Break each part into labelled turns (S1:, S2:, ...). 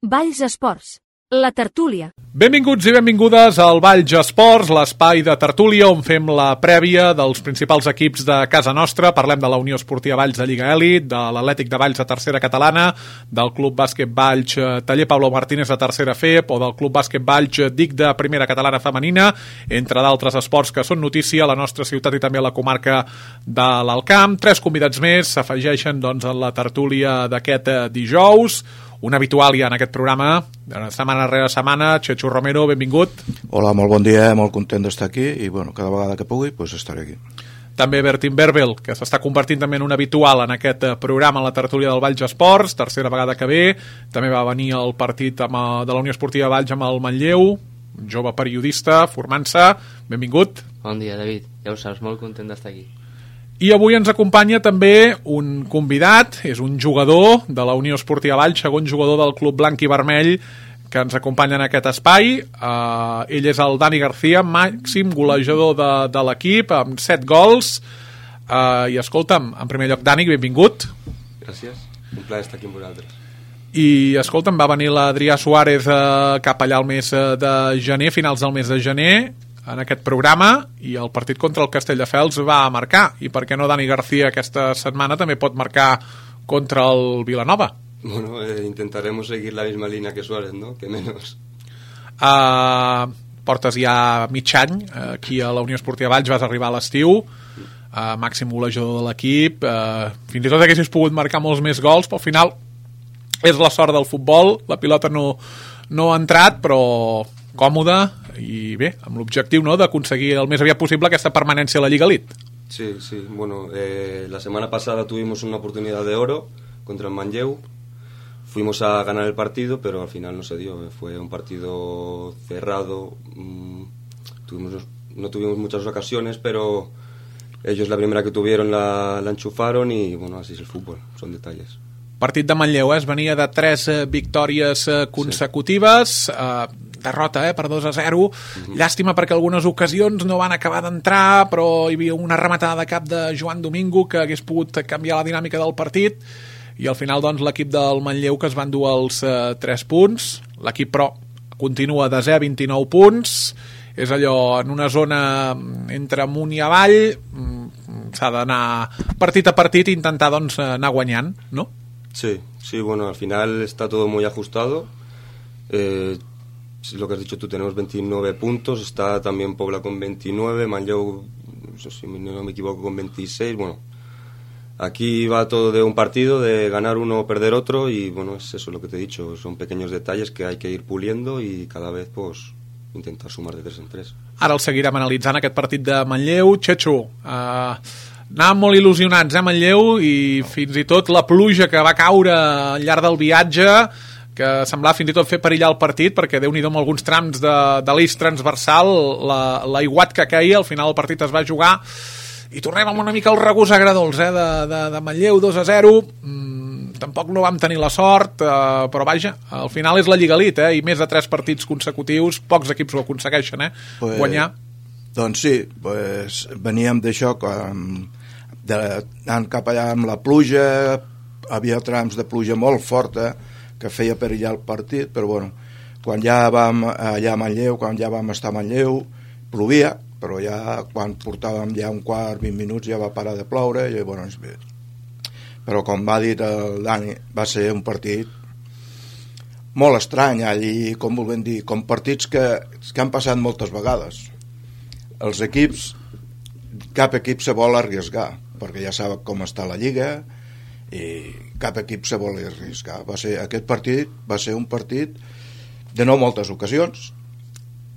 S1: Valls Esports, la tertúlia.
S2: Benvinguts i benvingudes al Valls Esports, l'espai de tertúlia on fem la prèvia dels principals equips de casa nostra. Parlem de la Unió Esportiva Valls de Lliga Elit, de l'Atlètic de Valls de Tercera Catalana, del Club Bàsquet Valls Taller Pablo Martínez de Tercera FEP o del Club Bàsquet Valls DIC de Primera Catalana Femenina, entre d'altres esports que són notícia a la nostra ciutat i també a la comarca de l'Alt Camp. 3 convidats més s'afegeixen doncs, a la tertúlia d'aquest dijous. Un habitual ja en aquest programa, setmana rere setmana. Chechu Romero, benvingut.
S3: Hola, molt bon dia, molt content d'estar aquí i bueno, cada vegada que pugui pues estaré aquí.
S2: També Bertín Berbel, que s'està convertint també en un habitual en aquest programa, en la tertúlia del Valls Esports, tercera vegada que ve. També va venir al partit de la Unió Esportiva Valls amb el Manlleu, un jove periodista, formant-se. Benvingut.
S4: Bon dia, David. Ja ho saps, molt content d'estar aquí.
S2: I avui ens acompanya també un convidat, és un jugador de la Unió Esportiva Valls, segon jugador del Club Blanc i Vermell, que ens acompanya en aquest espai. Ell és el Dani García, màxim golejador de l'equip, amb 7 gols. I escolta'm, en primer lloc, Dani, benvingut.
S5: Gràcies, un plaer estar aquí amb vosaltres.
S2: I escolta'm, va venir l'Adrià Suárez cap allà al mes de gener, finals del mes de gener, en aquest programa, i el partit contra el Castelldefels va marcar. I per què no Dani García aquesta setmana també pot marcar contra el Vilanova?
S5: Bueno, intentaremos seguir la misma línea que Suárez, ¿no? Que menos.
S2: Portes ja mig any aquí a la Unió Esportiva Valls, vas arribar a l'estiu, màxim golejador de l'equip, fins i tot haguessis pogut marcar molts més gols, però al final és la sort del futbol, la pilota no ha entrat, però còmode i bé, amb l'objectiu, ¿no?, d'aconseguir el més aviat possible aquesta permanència a la Lliga Elite.
S5: Sí, bueno, la semana pasada tuvimos una oportunidad de oro contra el Manlleu. Fuimos a ganar el partido, pero al final no se dio. Fue un partido cerrado. No tuvimos muchas ocasiones, pero ellos la primera que tuvieron la enchufaron y bueno, así es el fútbol, son detalles.
S2: Partit de Manlleu, es venia de 3 victòries consecutives, derrota per 2-0, llàstima perquè algunes ocasions no van acabar d'entrar, però hi havia una rematada de cap de Joan Domingo que hagués pogut canviar la dinàmica del partit, i al final doncs l'equip del Manlleu que es van dur els 3 punts, l'equip però continua de 0 a 29 punts, és allò en una zona entre amunt i avall, s'ha d'anar partit a partit i intentar doncs anar guanyant, no?
S5: Sí, bueno, al final está todo muy ajustado. Lo que has dicho tú, tenemos 29 puntos, está también Pobla con 29, Manlleu, si no me equivoco, con 26. Bueno, aquí va todo de un partido, de ganar uno o perder otro, y bueno, es eso lo que te he dicho, son pequeños detalles que hay que ir puliendo y cada vez pues intentar sumar de 3 en 3.
S2: Ara el seguirem analitzant aquest partit de Manlleu. Chechu, anàvem molt il·lusionats, Manlleu, i fins i tot la pluja que va caure al llarg del viatge, que semblava fins i tot fer perillar el partit, perquè Déu-n'hi-do amb alguns trams de l'eix transversal, l'aiguat que queia, al final el partit es va jugar, i tornem amb una mica el regust agradolç de Manlleu, 2-0, tampoc no vam tenir la sort, però vaja, al final és la Lliga Elite, i més de 3 partits consecutius, pocs equips ho aconsegueixen, guanyar.
S3: Doncs sí, veníem d'això, anant cap allà amb la pluja, havia trams de pluja molt forta que feia perillar el partit, però bueno, quan ja vam allà a Manlleu, quan ja vam estar a Manlleu, plovia, però ja quan portàvem ja un quart, 20 minuts ja va parar de ploure, i llavors bé. Però com va dir el Dani, va ser un partit molt estrany, i com volem dir, com partits que han passat moltes vegades. Els equips, cap equip se vol arriesgar, perquè ja sap com està la Lliga, i cap equip se vol arriesgar. Aquest partit va ser un partit de no moltes ocasions,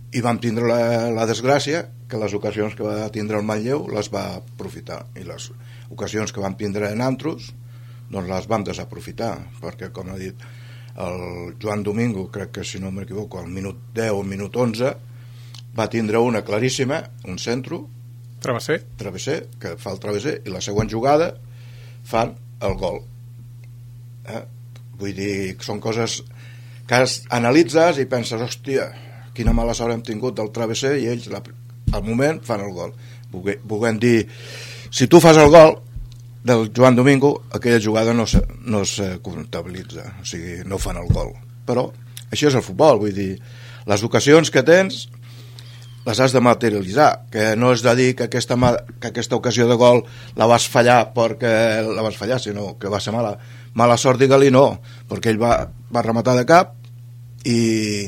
S3: i vam tindre la desgràcia que les ocasions que va tindre el Manlleu les va aprofitar, i les ocasions que vam tindre en altres doncs les vam desaprofitar, perquè com ha dit el Joan Domingo, crec que si no m'equivoco al minut 10 o minut 11 va tindre una claríssima, un centro travesser, que fa el travesser, i la següent jugada fan el gol. Vull dir, són coses que analitzes i penses, hòstia, quina mala sort hem tingut del travesser, i ells al moment fan el gol. Volem dir, si tu fas el gol del Joan Domingo, aquella jugada no se comptabilitza, o sigui, no fan el gol, però això és el futbol, vull dir, les ocasions que tens les has de materialitzar, que no és de dir que aquesta ocasió de gol la vas fallar perquè la vas fallar, sinó que va ser mala sort, digue-li, no, perquè ell va rematar de cap i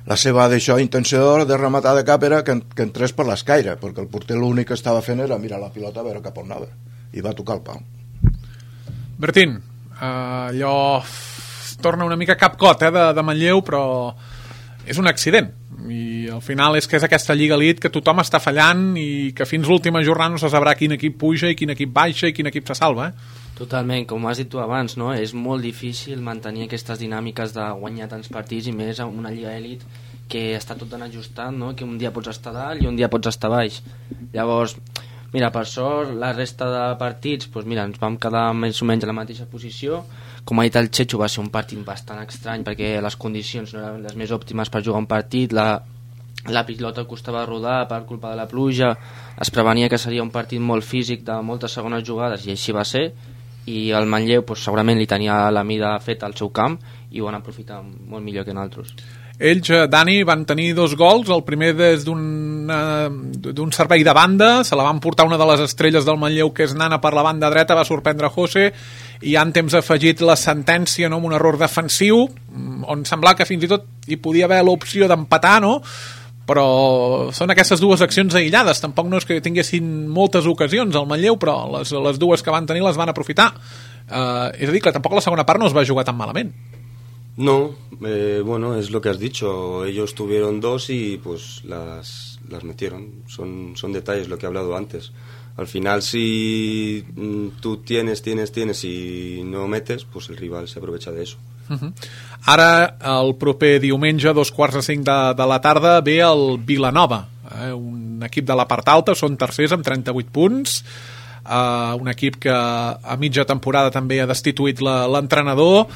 S3: la seva intenció de rematar de cap era que entrés per l'escaire, perquè el porter l'únic que estava fent era mirar la pilota a veure cap on anava i va tocar el pal.
S2: Bertín, allò torna una mica capcot de Manlleu, però és un accident i al final és que és aquesta Lliga Elite que tothom està fallant i que fins l'última jornada no se sabrà quin equip puja i quin equip baixa i quin equip se salva,
S4: Totalment, com has dit tu abans, no? És molt difícil mantenir aquestes dinàmiques de guanyar tants partits i més en una Lliga Elite que està tot tan ajustat, no? Que un dia pots estar dalt i un dia pots estar baix. Llavors, mira, per sort, la resta de partits, doncs mira, ens vam quedar més o menys a la mateixa posició. Com ha dit el Chechu, va ser un partit bastant estrany perquè les condicions no eren les més òptimes per jugar un partit, la pilota costava rodar per culpa de la pluja, es prevenia que seria un partit molt físic de moltes segones jugades i així va ser, i el Manlleu doncs, segurament li tenia la mida feta al seu camp i ho van aprofitar molt millor que nosaltres.
S2: Ells, Dani, van tenir 2 gols, el primer des d'un servei de banda, se la van portar una de les estrelles del Manlleu, que és Nana, per la banda dreta, va sorprendre José, i en temps afegit la sentència, no?, amb un error defensiu, on semblava que fins i tot hi podia haver l'opció d'empatar, no?, però són aquestes 2 accions aïllades, tampoc no és que tinguessin moltes ocasions al Manlleu, però les 2 que van tenir les van aprofitar. És a dir, que tampoc la segona part no es va jugar tan malament.
S5: No, bueno, es lo que has dicho. Ellos tuvieron 2 y pues las metieron. Son detalles, lo que he hablado antes. Al final, si tú tienes y no metes, pues el rival se aprovecha de eso.
S2: Ara, el proper diumenge, 4:45 de la tarda, ve el Vilanova, un equip de la part alta, són tercers amb 38 punts, un equip que a mitja temporada també ha destituït l'entrenador.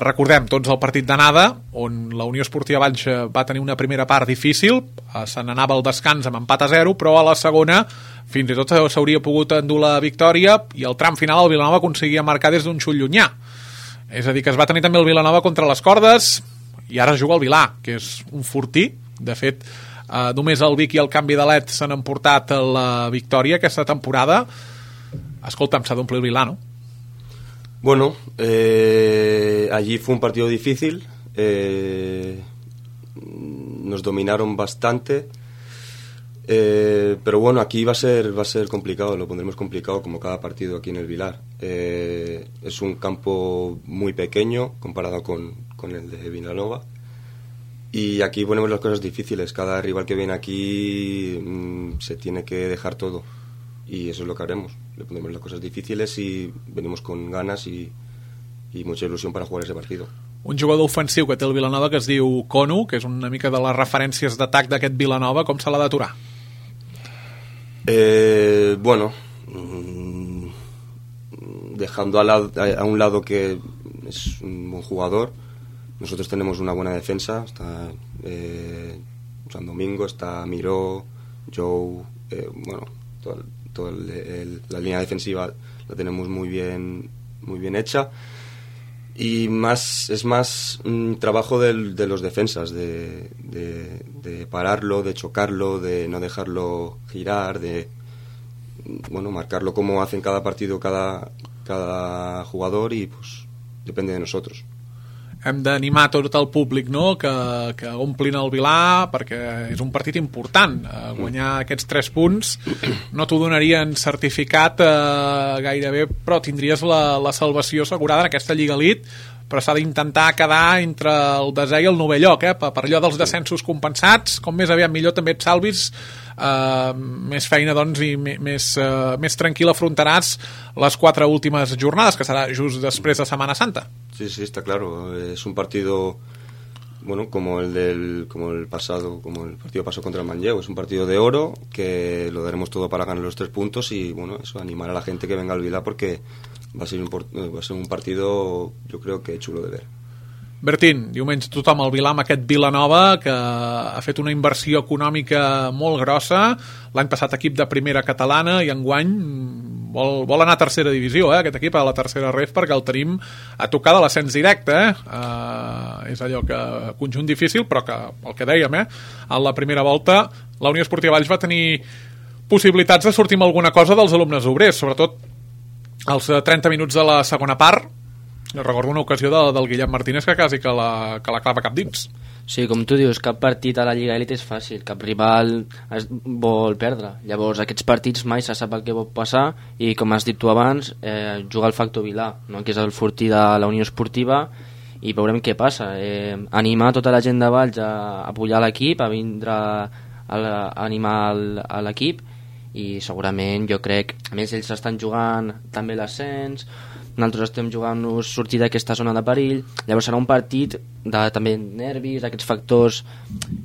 S2: Recordem tots el partit d'anada, on la Unió Esportiva Valls va tenir una primera part difícil, se n'anava al descans amb empat a 0, però a la segona fins i tot s'hauria pogut endur la victòria i el tram final el Vilanova aconseguia marcar des d'un xut llunyà. És a dir, que es va tenir també el Vilanova contra les cordes i ara juga el Vilà, que és un fortí. De fet, només el Vic i el canvi de LED s'han emportat la victòria aquesta temporada. Escolta'm, s'ha d'omplir el Vilà, no?
S5: Bueno, allí fue un partido difícil, nos dominaron bastante, pero bueno, aquí va a ser complicado, lo pondremos complicado como cada partido aquí en el Vilar. Es un campo muy pequeño comparado con el de Vilanova y aquí ponemos las cosas difíciles. Cada rival que viene aquí se tiene que dejar todo y eso es lo que haremos. Le pondremos las cosas difíciles y venimos con ganas y mucha ilusión para jugar ese partido.
S2: Un jugador ofensiu que té el Vilanova que es diu Conu, que és una mica de les referències d'atac d'aquest Vilanova, com se l'ha d'aturar?
S5: Bueno, dejando a un lado que es un buen jugador, nosotros tenemos una buena defensa. Está San Domingo, está Miró, Joe, bueno, toda la línea defensiva la tenemos muy bien hecha y es más trabajo de los defensas, de pararlo, de chocarlo, de no dejarlo girar, de bueno, marcarlo como hacen cada partido cada jugador y pues depende de nosotros.
S2: Hem d'animar tot el públic, no?, que omplin el Vilà, perquè és un partit important. Guanyar aquests 3 punts no t'ho donarien certificat gairebé, però tindries la salvació assegurada en aquesta Lliga Elite, però s'ha d'intentar quedar entre el desè i el 9è lloc, per allò dels descensos compensats. Com més aviat millor també et salvis, més feina, doncs, i més tranquil afrontaràs les 4 últimes jornades, que serà just després de Setmana Santa.
S5: Sí, está claro. Es un partido, bueno, como el partido pasó contra el Manlleu. Es un partido de oro que lo daremos todo para ganar los 3 puntos y, bueno, eso, animar a la gente que venga al Vilà porque va a ser un partido, yo creo que chulo de ver.
S2: Bertín, diumenge tothom al Vilà amb aquest Vilanova, que ha fet una inversió econòmica molt grossa. L'any passat equip de primera catalana i enguany vol anar a tercera divisió, aquest equip, a la tercera ref, perquè el tenim a tocar de l'ascens directe, és allò que conjunt difícil, però que el que dèiem, en la primera volta la Unió Esportiva Valls va tenir possibilitats de sortir amb alguna cosa dels alumnes obrers, sobretot als 30 minuts de la segona part. Recordo una ocasió del Guillem Martínez que quasi que la clava cap dins.
S4: Sí, com tu dius, cap partit a la Lliga Elite és fàcil, cap rival vol perdre. Llavors, aquests partits mai se sap el que pot passar i, com has dit tu abans, juga el factor Vilà, no? Que és el fortí de la Unió Esportiva, i veurem què passa. Animar tota la gent de Valls a apoyar l'equip, a vindre a animar a l'equip, i segurament jo crec, a més ells estan jugant també l'ascens, nosaltres estem jugant-nos sortir d'aquesta zona de perill, llavors serà un partit de també nervis, d'aquests factors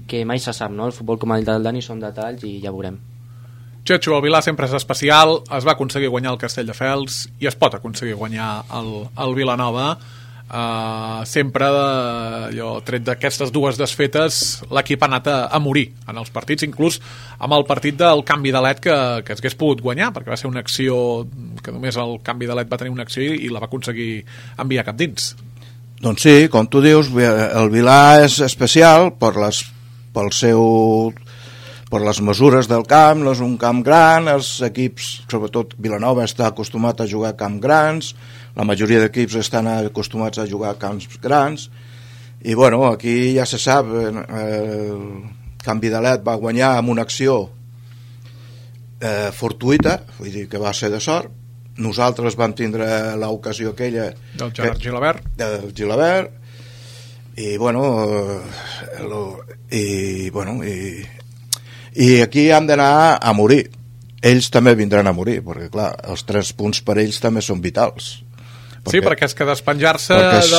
S4: que mai se sap, no? El futbol, com ha dit el Dani, són detalls i ja veurem.
S2: Txetxo, el Vilà sempre és especial, es va aconseguir guanyar el Castelldefels i es pot aconseguir guanyar el Vilanova. Sempre allò, tret d'aquestes dues desfetes, l'equip ha anat a morir en els partits, inclús amb el partit del canvi de LED que es hagués pogut guanyar, perquè va ser una acció que només el canvi de LED va tenir una acció i la va aconseguir enviar cap dins.
S3: Doncs sí, com tu dius, el Vilà és especial per les mesures del camp, no és un camp gran, els equips, sobretot Vilanova, està acostumat a jugar a camps grans, la majoria d'equips estan acostumats a jugar a camps grans, i bueno, aquí ja se sap, el canvi de LED va guanyar amb una acció fortuïta, vull dir que va ser de sort. Nosaltres vam tindre l'ocasió aquella
S2: del Gerard Gilabert,
S3: i aquí hem d'anar a morir. Ells també vindran a morir, perquè clar, els 3 punts per ells també són vitals.
S2: Perquè és que despenjar-se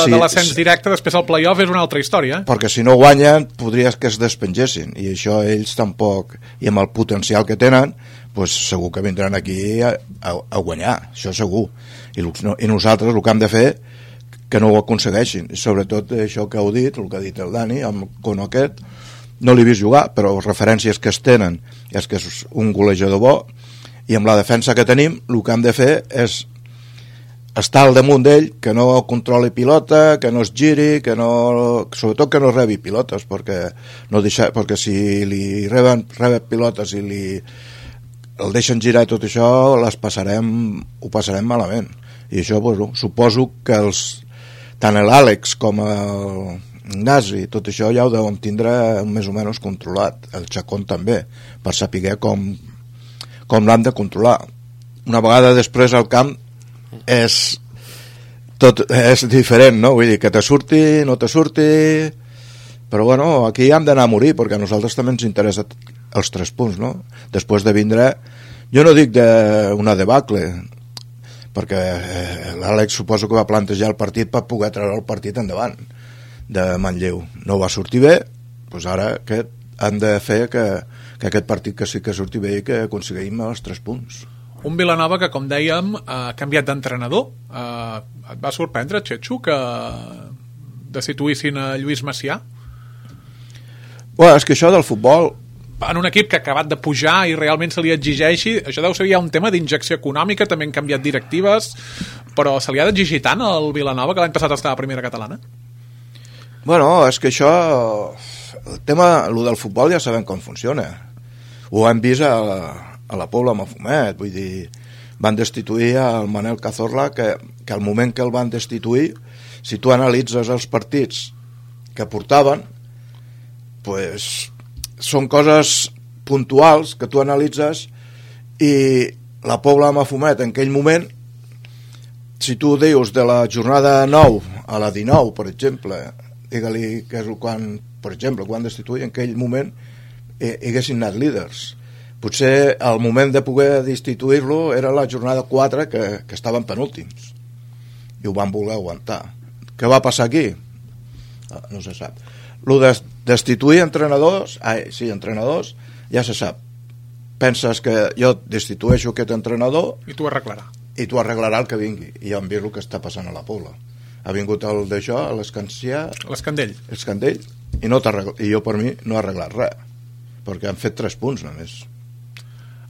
S2: de l'ascens directe després al play-off és una altra història.
S3: Perquè si no guanyen podria que es despengessin, i això ells tampoc, i amb el potencial que tenen, doncs segur que vindran aquí a guanyar, això segur, i nosaltres el que hem de fer que no ho aconsegueixin, i sobretot això que heu dit, el que ha dit el Dani, amb Cono aquest, no l'he vist jugar, però referències que es tenen és que és un golejador bo, i amb la defensa que tenim el que hem de fer és estar al damunt d'ell, que no controli pilota, que no es giri, sobretot que no rebi pilotes, perquè si li reben pilotes i el deixen girar i tot això, ho passarem malament. I això, suposo que tant l'Àlex com el Ignasi, tot això ja ho deuen tindre més o menys controlat, el Chacón també, per saber com l'han de controlar. Una vegada després al camp és diferent, no? Vull dir, que te surti, no te surti, però bueno, aquí hem d'anar a morir, perquè a nosaltres també ens interessa els 3 punts, no? Després de vindre, jo no dic d'una debacle, perquè l'Àlex suposo que va plantejar el partit per poder treure el partit endavant de Manlleu. No va sortir bé, doncs ara han de fer que aquest partit que sí que surti bé i que aconseguim els 3 punts.
S2: Un Vilanova que, com dèiem, ha canviat d'entrenador. Et va sorprendre, Txetxo, que destituïssin a Lluís Macià?
S3: Bueno, és que això del futbol...
S2: En un equip que ha acabat de pujar i realment se li exigeixi, això deu ser ja un tema d'injecció econòmica, també han canviat directives, però se li ha d'exigir tant al Vilanova, que l'any passat estava a primera catalana?
S3: Bueno, és que això... El tema, el del futbol ja sabem com funciona. Ho hem vist a la Pobla Mafumet, vull dir, van destituir el Manel Cazorla, que al moment que el van destituir, si tu analitzes els partits que portaven, pues, són coses puntuals que tu analitzes, i la Pobla Mafumet en aquell moment, si tu dius de la jornada 9 a la 19, per exemple, digue-li que és quan, per exemple, quan destituir, en aquell moment haguessin anat líders. Potser al moment de poder destituir-lo era la jornada 4 que estaven penúltims i ho van voler aguantar. Què va passar aquí? No se sap. Lo de destituir entrenadors, entrenadors, ja se sap. Penses que jo destitueixo aquest entrenador
S2: i tu arreglarà.
S3: I tu arreglarà el que vingui. I ja hem vist el que està passant a la Pobla. Ha vingut el d'això,
S2: l'Escandell,
S3: i jo per mi no ha arreglat res, perquè han fet 3 punts només.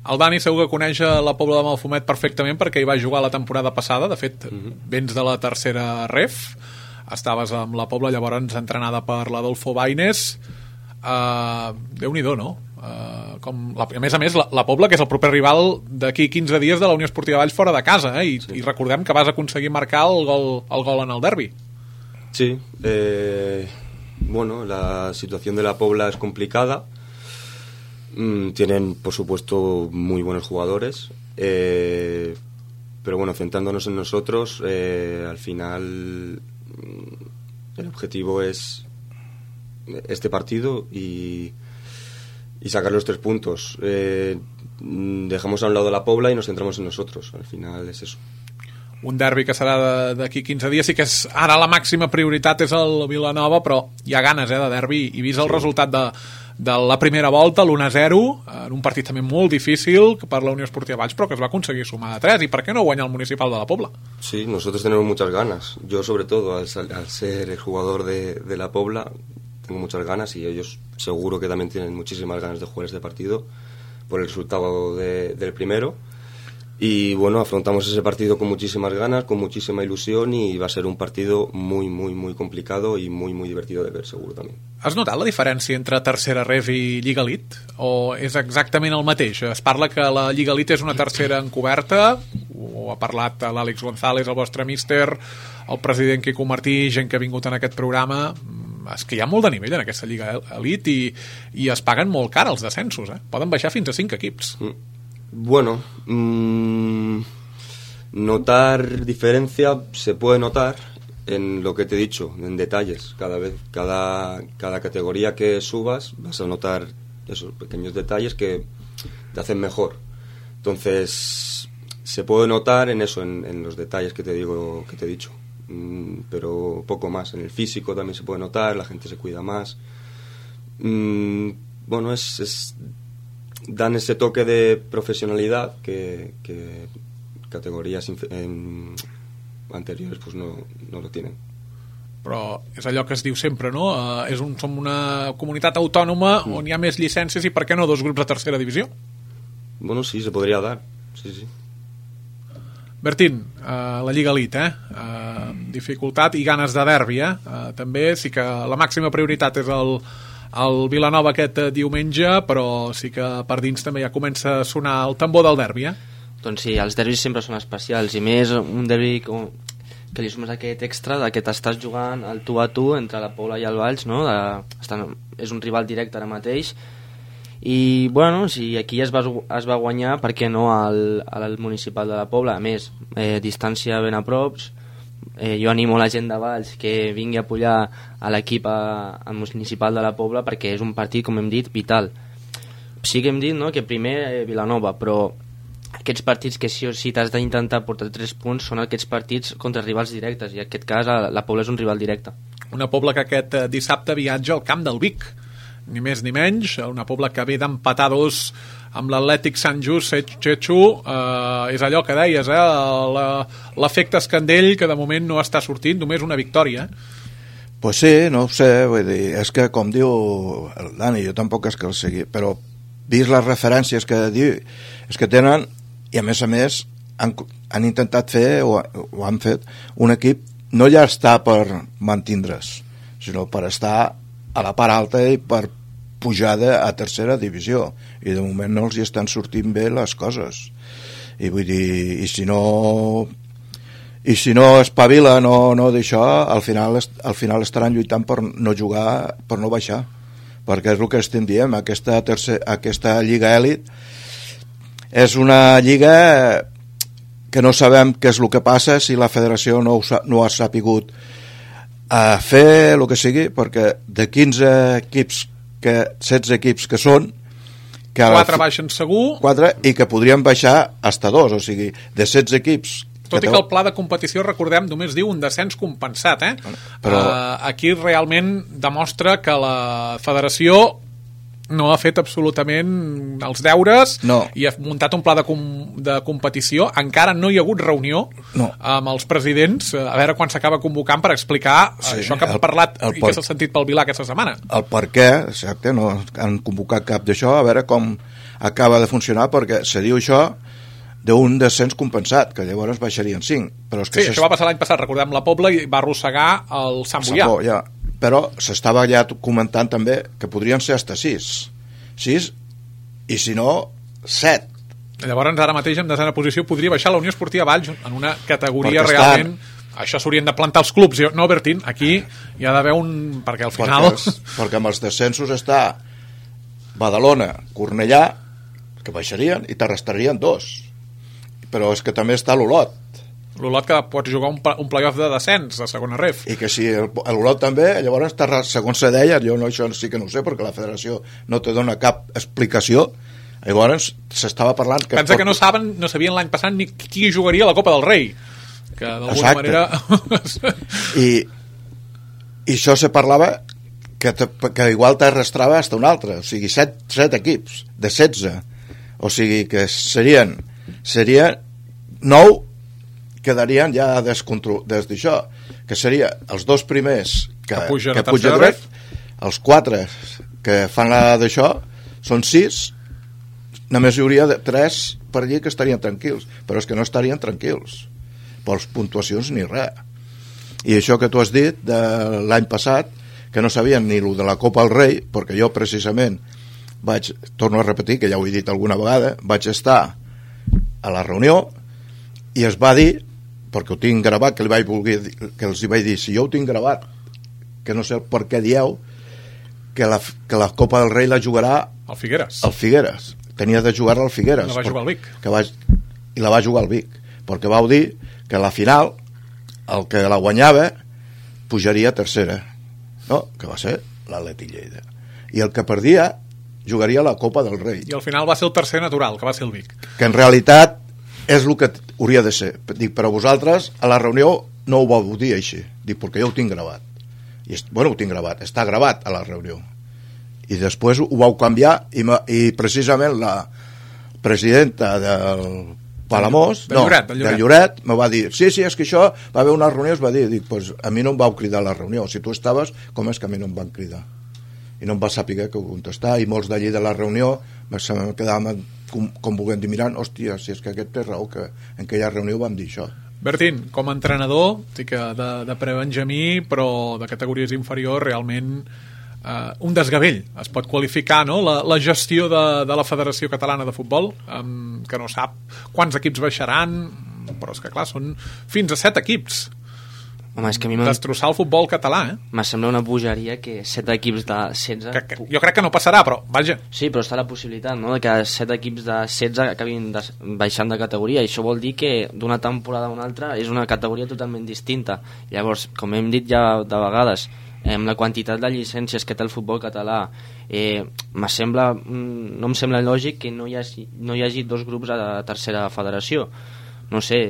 S2: El Dani segur que coneix la Pobla de Malfumet perfectament perquè hi va jugar la temporada passada. De fet, vens de la tercera ref. Estaves amb la Pobla llavors entrenada per l'Adolfo Baines. Déu-n'hi-do, no? A més, la Pobla, que és el proper rival d'aquí 15 dies de la Unió Esportiva Valls fora de casa, I recordem que vas aconseguir marcar el gol en el derbi.
S5: Sí, bueno, la situación de la Pobla es complicada. Tienen, por supuesto, muy buenos jugadores, pero bueno, centrándonos en nosotros, al final el objetivo es este partido y sacar los 3 puntos. Dejamos a un lado la Pobla y nos centramos en nosotros. Al final es eso.
S2: Un derbi que serà d'aquí 15 dies. Sí que ara la màxima prioritat és el Vilanova, però hi ha ganes de derbi, i vist el resultat de la primera volta, l'1-0, en un partit també molt difícil per la Unió Esportiva Valls, però que es va aconseguir sumar de 3, i per què no guanyar el Municipal de la Pobla?
S5: Sí, nosotros tenemos muchas ganas. Yo, sobre todo, al ser el jugador de la Pobla, tengo muchas ganas, y ellos seguro que también tienen muchísimas ganas de jugar este partido por el resultado del primero. Y bueno, afrontamos ese partido con muchísimas ganas, con muchísima ilusión, y va a ser un partido muy, muy, muy complicado y muy, muy divertido de ver, seguro també.
S2: Has notat la diferència entre tercera ref i Lliga Elite? O és exactament el mateix? Es parla que la Lliga Elite és una tercera encoberta, ho ha parlat l'Àlex González, el vostre míster, el president Quico Martí, gent que ha vingut en aquest programa. És que hi ha molt de nivell en aquesta Lliga Elite i es paguen molt car els descensos, Poden baixar fins a 5 equips.
S5: Bueno, notar diferencia se puede notar en lo que te he dicho, en detalles. Cada categoría que subas vas a notar esos pequeños detalles que te hacen mejor. Entonces se puede notar en eso, en los detalles que te digo, que te he dicho, pero poco más. En el físico también se puede notar, la gente se cuida más. Bueno, dan ese toque de profesionalidad que categorías anteriores pues no lo tienen.
S2: Però és allò que es diu sempre, no? Som una comunitat autònoma on hi ha més llicències, i per què no 2 grups de tercera divisió?
S5: Bueno, sí, se podría dar. Sí.
S2: Bertín, la Lliga Elite, dificultat i ganes de derbi, també sí que la màxima prioritat és el Vilanova aquest diumenge, però sí que per dins també ja comença a sonar el tambor del derbi,
S4: Doncs sí, els derbis sempre són especials, i més un derbi que li sumes aquest extra de que t'estàs jugant el tu a tu entre la Pobla i el Valls, no? És un rival directe ara mateix, i bueno, si aquí es va guanyar, per què no al Municipal de la Pobla? A més, distància ben a prop. Jo animo la gent de Valls que vingui a apoyar a l'equip al Municipal de la Pobla, perquè és un partit, com hem dit, vital. Sí que hem dit, no?, que primer Vilanova, però aquests partits que sí o sí t'has d'intentar portar 3 punts són aquests partits contra rivals directes, i en aquest cas la Pobla és un rival directe. Una
S2: Pobla que aquest dissabte viatja al camp del Vic, ni més ni menys, una Pobla que ve d'empatar 2 amb l'Atlètic Sant Just Setxo. És allò que deies, l'efecte escandell, que de moment no està sortint, només una victòria.
S3: Pues sí, no ho sé, vull dir, és que com diu el Dani, jo tampoc és que el segui, però vist les referències que diu, és que tenen, i a més han intentat fer, o han fet, un equip no ja està per mantindre's, sinó per estar a la part alta i per pujada a tercera divisió, i de moment no els hi estan sortint bé les coses, i vull dir, i si no espavila, no d'això, al final estaran lluitant per no jugar, per no baixar, perquè és el que estem dient, aquesta Lliga Elit és una lliga que no sabem què és el que passa, si la federació no ha sapigut fer el que sigui, perquè de 15 equips, 16 equips que són, que
S2: 4 baixen segur,
S3: 4, i que podrien baixar hasta 2, o sigui, de 16 equips.
S2: Tot i que el pla de competició, recordem, només diu un descens compensat, Però aquí realment demostra que la federació no ha fet absolutament els deures i ha muntat un pla de competició. Encara no hi ha hagut reunió amb els presidents, a veure quan s'acaba convocant per explicar això que ha parlat i que s'ha sentit pel Vilà aquesta setmana.
S3: El per què, exacte, no han convocat cap d'això, a veure com acaba de funcionar, perquè se diu això d'un descens compensat, que llavors baixarien 5. Però és que
S2: això va passar l'any passat, recordem, la Pobla i va arrossegar el Sant Boià.
S3: Ja. Però s'estava ja comentant també que podrien ser hasta 6 i si no 7.
S2: Llavors ara mateix en desena posició podria baixar la Unió Esportiva Valls en una categoria realment... Això s'haurien de plantar els clubs. No, Bertín, aquí hi ha d'haver un... perquè al final...
S3: Perquè amb els descensos està Badalona, Cornellà, que baixarien i t'arrestarien 2. Però és que també està l'Olot.
S2: L'Olot que pots jugar un play-off de descens a segona ref.
S3: I que si l'Olot també, llavors segons se deia, jo això sí que no ho sé perquè la federació no te dona cap explicació, llavors s'estava parlant que...
S2: Pensa que no sabien l'any passat ni qui jugaria a la Copa del Rei, que d'alguna manera...
S3: I això se parlava que igual t'arrastrava fins un altre, o sigui 7 equips de 16, o sigui que serien 9 quedarien ja des d'això, que seria els 2 primers que pugen dret, els 4 que fan la d'això són 6, només hi hauria 3 per allí que estarien tranquils, però és que no estarien tranquils per les puntuacions ni res. I això que tu has dit de l'any passat, que no sabien ni el de la Copa del Rei, perquè jo precisament torno a repetir, que ja ho he dit alguna vegada, vaig estar a la reunió i es va dir, perquè ho tinc gravat, que els hi vaig dir, si jo ho tinc gravat, que no sé per què dieu, que la Copa del Rei la jugarà
S2: al
S3: Figueres. Tenia de jugar-la al Figueres.
S2: La va jugar al Vic.
S3: I la va jugar al Vic, perquè vau dir que a la final el que la guanyava pujaria a tercera, no? Que va ser l'Atlètic Lleida. I el que perdia jugaria a la Copa del Rei.
S2: I al final va ser el tercer natural, que va ser el Vic.
S3: Que en realitat és el que hauria de ser. Dic, però vosaltres a la reunió no ho vau dir així. Dic, perquè jo ho tinc gravat. Ho tinc gravat, està gravat a la reunió. I després ho vau canviar i precisament la presidenta del Palamós, del Lloret, me va dir, sí, és que això va haver una reunió, es va dir, dic, pues a mi no em vau cridar a la reunió, si tu estaves, com és que a mi no em van cridar? I no em va saber què contestar, i molts d'allí de la reunió me quedàvem com volent dir, mirant, hòstia, si és que aquest té raó, que en aquella reunió vam dir això.
S2: Bertín, com a entrenador, de pre-benjamí, però de categories inferiors, realment un desgavell, es pot qualificar, no? La gestió de la Federació Catalana de Futbol, que no sap quants equips baixaran, però és que clar, són fins a 7 equips.
S4: Home, és que a mi
S2: destrossar el futbol català,
S4: me sembla una bogeria que 7 equips de 16...
S2: Jo crec que no passarà, però vaja.
S4: Sí, però està la possibilitat, no?, de que 7 equips de 16 acabin baixant de categoria, i això vol dir que d'una temporada a una altra és una categoria totalment distinta. Llavors, com hem dit ja de vegades, amb la quantitat de llicències que té el futbol català, no em sembla lògic que no hi hagi 2 grups a la tercera federació. No sé,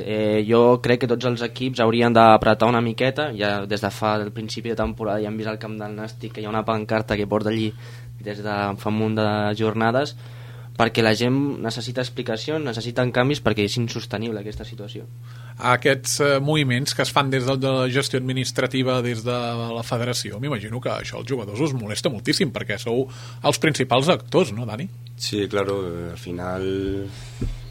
S4: jo crec que tots els equips haurien d'apretar una miqueta. Ja des de fa el principi de temporada ja hem vist al camp del Nàstic que hi ha una pancarta que porta allí des de fa un munt de jornades, perquè la gent necessita explicacions, necessiten canvis, perquè és insostenible aquesta situació.
S2: Aquests moviments que es fan des de la gestió administrativa, des de la federació, m'imagino que això als jugadors us molesta moltíssim, perquè sou els principals actors, no, Dani?
S5: Sí, claro, al final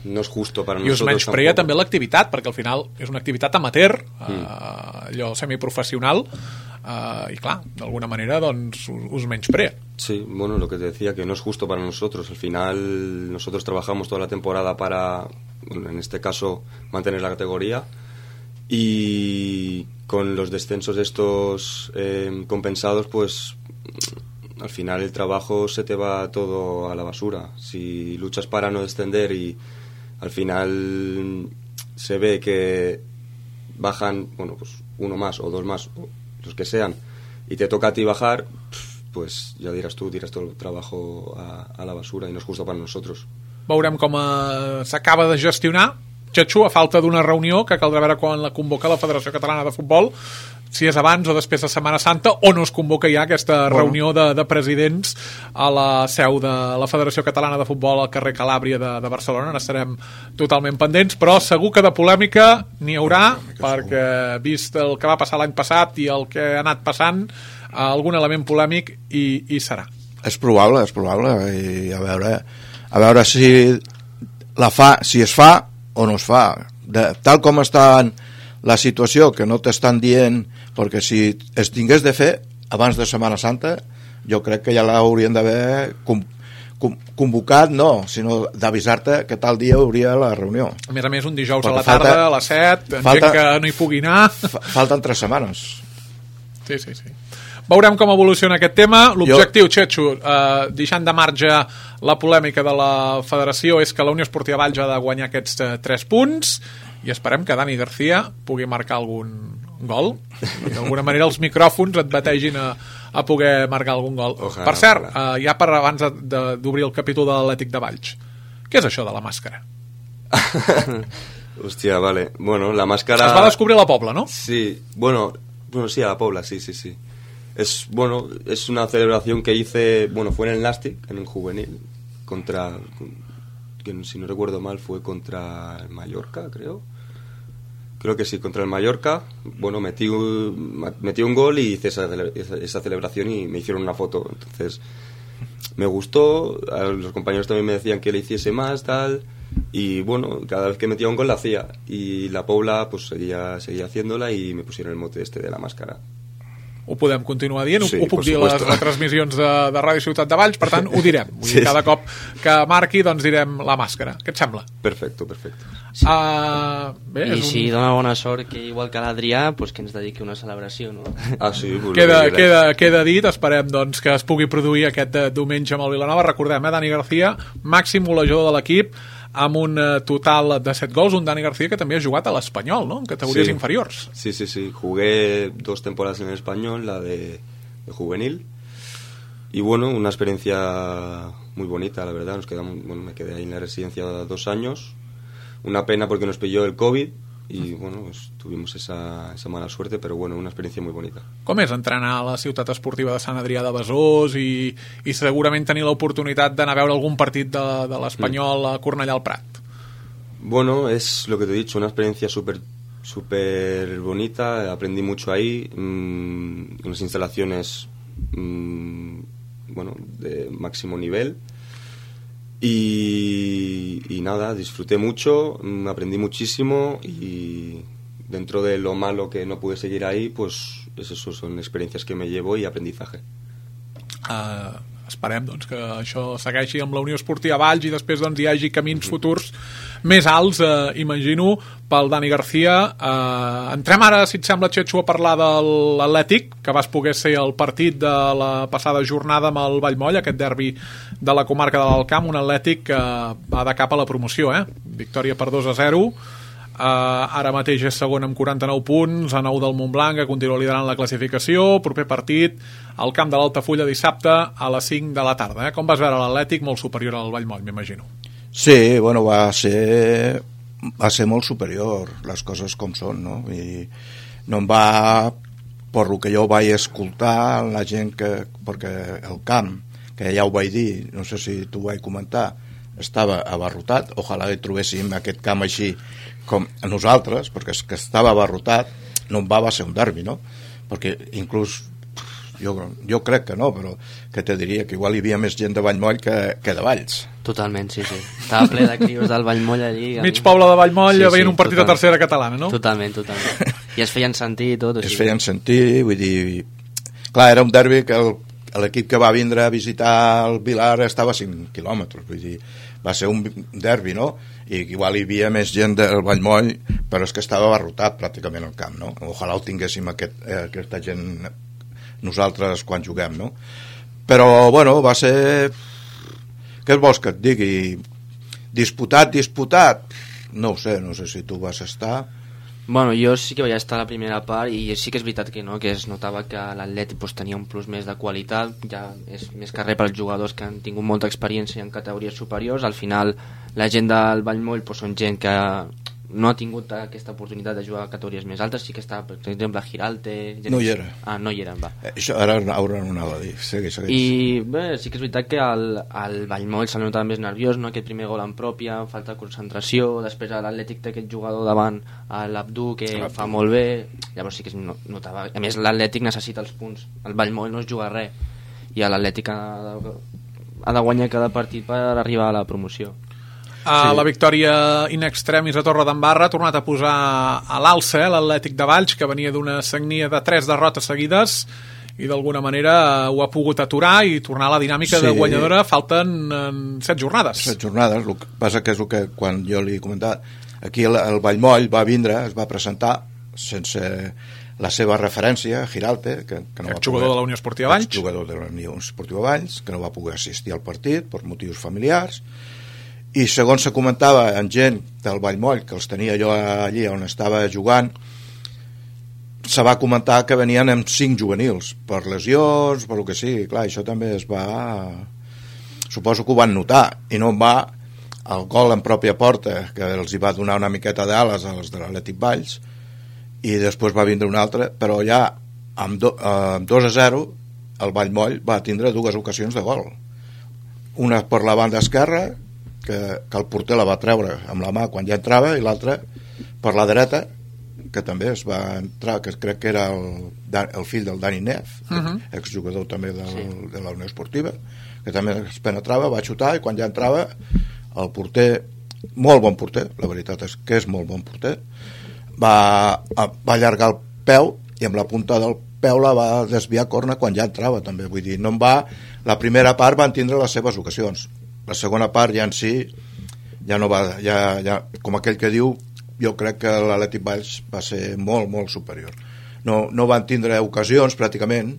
S5: no és justo para
S2: nosotros. I us menysprea també l'activitat, perquè al final és una activitat amateur, allò semiprofessional, y claro, de alguna manera doncs, us menysprea.
S5: Sí, bueno, lo que te decía, que no es justo para nosotros. Al final nosotros trabajamos toda la temporada para, bueno, en este caso, mantener la categoría, y con los descensos estos compensados, pues al final el trabajo se te va todo a la basura. Si luchas para no descender y al final se ve que bajan, bueno, pues uno más o 2 más, o los que sean, y te toca a ti bajar, pues ya dirás tú, tiras todo el trabajo a la basura, y no es justo para nosotros.
S2: Veurem com s'acaba de gestionar, Txetxo, a falta d'una reunió que caldrà veure quan la convoca la Federació Catalana de Futbol, si és abans o després de Setmana Santa, o no es convoca ja aquesta reunió de presidents a la seu de la Federació Catalana de Futbol al carrer Calàbria de Barcelona. N'estarem totalment pendents, però segur que de polèmica n'hi haurà, perquè vist el que va passar l'any passat i el que ha anat passant, algun element polèmic hi serà.
S3: És probable, i a veure si es fa o no es fa. Tal com està la situació, que no t'estan dient, perquè si es tingués de fer abans de Setmana Santa, jo crec que ja l'haurien d'haver convocat, no, sinó d'avisar-te que tal dia hauria la reunió.
S2: A més, un dijous a la tarda, a les 7, gent que no hi pugui anar.
S3: Falten 3 setmanes.
S2: Sí. Veurem com evoluciona aquest tema. L'objectiu, Txetxo, deixant de marge la polèmica de la federació, és que la Unió Esportiva Valls ha de guanyar aquests 3 punts i esperem que Dani García pugui marcar algun gol. D'alguna manera els micròfons et bategin a poder marcar algun gol.
S5: Ojalà,
S2: per cert, ja per abans d'obrir el capítol de l'Atlètic de Valls, què és això de la màscara?
S5: Hòstia, vale. Bueno, la máscara...
S2: Es va descobrir a la Pobla, ¿no?
S5: Sí, bueno, sí, a la Pobla, sí. Es una celebración que hice, fue en el Nastic, en el juvenil, que si no recuerdo mal fue contra el Mallorca, creo que sí, contra el Mallorca. Metí un gol y hice esa celebración y me hicieron una foto. Entonces me gustó, los compañeros también me decían que le hiciese más, tal, y cada vez que metía un gol la hacía, y la Pobla pues seguía haciéndola y me pusieron el mote de la máscara.
S2: Ho podem continuar dient,
S5: sí,
S2: ho puc dir a les retransmissions de Ràdio Ciutat de Valls, per tant ho direm. Vull dir, cada cop que marqui doncs direm la màscara. Què et sembla?
S5: Perfecto.
S4: Sí. Si dona bona sort, que igual que l'Adrià, pues que ens dediqui una celebració, no?
S5: Sí,
S2: queda dit, esperem doncs, que es pugui produir aquest diumenge amb el Vilanova. Recordem, Dani García, màxim golejador de l'equip, amb un total de 7 gols, un Dani García que també ha jugat a l'Espanyol, ¿no? En categories inferiors.
S5: Sí. Jugué 2 temporadas en el Español, la de juvenil, y una experiencia muy bonita, la verdad. Me quedé ahí en la residencia 2 años. Una pena porque nos pilló el COVID y tuvimos esa mala suerte, pero una experiencia muy bonita.
S2: Com és entrenar a la ciutat esportiva de Sant Adrià de Besòs i segurament tenir l'oportunitat d'anar a veure algun partit de l'Espanyol a Cornellà al Prat?
S5: Es lo que te he dicho, una experiencia súper bonita. Aprendí mucho ahí, unas instalaciones de máximo nivel. Y nada, disfruté mucho, aprendí muchísimo, y dentro de lo malo que no pude seguir ahí, pues eso son experiencias que me llevo y aprendizaje.
S2: Esperem doncs, que això segueixi amb la Unió Esportiva Valls i després doncs, hi hagi camins futurs més alts, imagino, pel Dani García. Entrem ara, si et sembla, Txetxo, a parlar de l'Atlètic, que vas poder ser el partit de la passada jornada amb el Vallmoll, aquest derbi de la comarca de l'Alt Camp, un Atlètic que va de cap a la promoció, victòria per 2-0. Ara mateix és segon amb 49 punts, a 9 del Montblanc, que continua liderant la classificació. Proper partit al camp de l'Altafulla dissabte a les 5 de la tarda. Com vas veure l'Atlètic? Molt superior al Vallmoll, m'imagino.
S3: Sí, va ser molt superior, les coses com són, no? I no em va, per lo que jo vaig escoltar, la gent perquè el camp, que ja ho vaig dir, no sé si t'ho vaig comentar, estava abarrotat. Ojalà que trobéssim aquest camp així com nosaltres, perquè és que estava abarrotat. No va ser un derbi, no? Perquè inclús jo crec que no, però que te diria que igual hi havia més gent de Vallmoll que de Valls.
S4: Totalment, sí. Estava ple de crios del Vallmoll allí.
S2: Mig poble de Vallmoll veient un partit de tercera catalana, no?
S4: Totalment. I es feien sentir i tot.
S3: Es feien sentir, vull dir... Clar, era un derbi que l'equip que va vindre a visitar el Vilar estava a 5 quilòmetres, vull dir, va ser un derbi, no? I igual hi havia més gent del Vallmoll, però és que estava abarrotat pràcticament el camp, no? Ojalà ho tinguéssim aquesta gent nosaltres quan juguem, no? Però, va ser... Què vols que et digui? Disputat? No ho sé si tu vas estar...
S4: Jo sí que vaig estar a la primera part i sí que és veritat que no, que es notava que l'Atlètic tenia un plus més de qualitat, ja és més que res pels jugadors que han tingut molta experiència en categories superiors. Al final la gent del Vallmoll són gent que no ha tingut aquesta oportunitat de jugar a categories més altes. Sí que està, per exemple, Giralte...
S3: No hi era.
S4: No hi era, va.
S3: Això ara haurà anat a dir. Segueix.
S4: I bé, sí que és veritat que al Vallmoll se'l notava més nerviós, no? Aquest primer gol en pròpia, falta de concentració, després l'Atlètic té aquest jugador davant, l'Abdú, que fa molt bé, llavors sí que es notava. A més, l'Atlètic necessita els punts, el Vallmoll no es juga res, i l'Atlètic ha de guanyar cada partit per arribar a la promoció.
S2: La victòria in extremis a Torredembarra ha tornat a posar a l'alça l'Atlètic de Valls, que venia d'una sagnia de 3 derrotes seguides i d'alguna manera ho ha pogut aturar i tornar a la dinàmica de guanyadora. Falten 7 jornades.
S3: 7 jornades, el que passa que és el que quan jo li he comentat, aquí el Vallmoll va vindre, es va presentar sense la seva referència, Giralte, que no va
S2: jugador de la Unió Esportiva Valls,
S3: jugador de la Unió Esportiva Valls, que no va poder assistir al partit per motius familiars. I segons se comentava en gent del Vallmoll, que els tenia jo allí on estava jugant, se va comentar que venien amb 5 juvenils, per lesions, per el que sigui. Clar, això també es va... Suposo que ho van notar, i no va el gol en pròpia porta, que els hi va donar una miqueta d'ales als de l'Atlètic Valls, i després va vindre un altre, però ja amb 2-0 el Vallmoll va tindre 2 ocasions de gol. Una per la banda esquerra, que el porter la va treure amb la mà quan ja entrava, i l'altra per la dreta, que també es va entrar, que crec que era el fill del Dani Neff, exjugador també de la Unió Esportiva, que també es penetrava, va xutar, i quan ja entrava el porter, molt bon porter, la veritat és que és molt bon porter, va allargar el peu i amb la punta del peu la va desviar a corna quan ja entrava també. Vull dir, no en va... La primera part van tindre les seves ocasions, la segona part ja en si ja no va, ja, com aquell que diu, jo crec que l'Atlètic Valls va ser molt, molt superior. No van tindre ocasions pràcticament,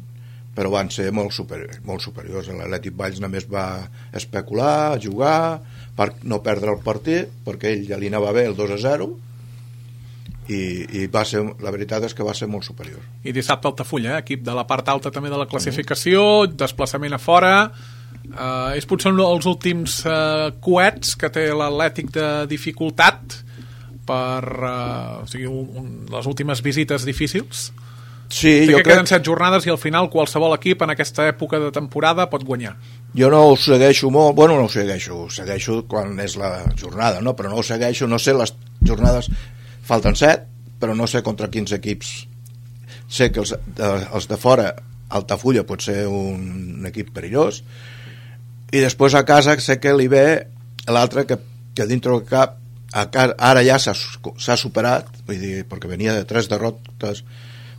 S3: però van ser molt superiors. L'Atlètic Valls només va especular, jugar, per no perdre el partit, perquè ell ja li anava bé el 2-0, i va ser, la veritat és que va ser molt superior.
S2: I dissabte Altafulla, equip de la part alta també de la classificació, desplaçament a fora... és potser els últims coets que té l'Atlètic de dificultat per les últimes visites difícils.
S3: Sí,
S2: jo crec que queden 7 jornades i al final qualsevol equip en aquesta època de temporada pot guanyar.
S3: Jo no ho segueixo molt, bueno, no ho segueixo quan és la jornada, no? Però no ho segueixo, no sé, les jornades falten 7, però no sé contra quins equips. Sé que els de fora, Altafulla pot ser un equip perillós, i després a casa sé que li ve l'altre que dintre del cap ara ja s'ha superat, vull dir, perquè venia de 3 derrotes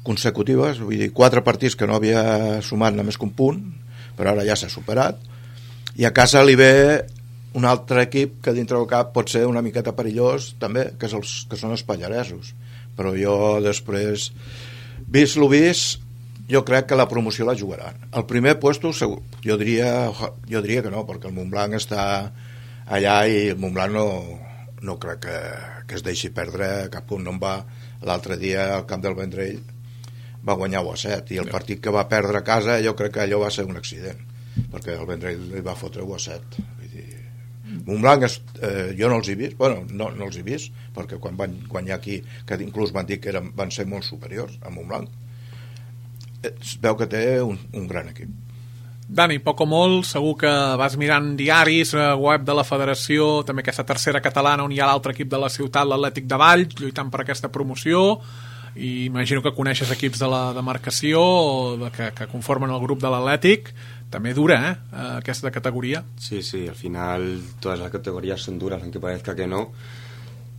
S3: consecutives, vull dir, 4 partits que no havia sumat només que un punt, però ara ja s'ha superat, i a casa li ve un altre equip que dintre del cap pot ser una miqueta perillós també, que són els pallaresos, però jo després, vist lo vist, jo crec que la promoció la jugaran. El primer puesto segur, jo diria que no, perquè el Montblanc està allà i el Montblanc no crec que es deixi perdre cap punt. No en va l'altre dia al camp del Vendrell, va guanyar 1-7, i el partit que va perdre a casa jo crec que allò va ser un accident, perquè el Vendrell li va fotre 1-7. Vull dir, Montblanc jo no els he vist, bueno, no els he vist, perquè quan van guanyar aquí, que inclús van dir que van ser molt superiors a Montblanc, es veu que té un gran equip.
S2: Dani, poc o molt, segur que vas mirant diaris, web de la federació, també aquesta tercera catalana on hi ha l'altre equip de la ciutat, l'Atlètic de Valls, lluitant per aquesta promoció, i imagino que coneixes equips de la demarcació que conformen el grup de l'Atlètic. També dura, aquesta categoría.
S5: Sí, al final todas las categorías son duras, aunque parezca que no.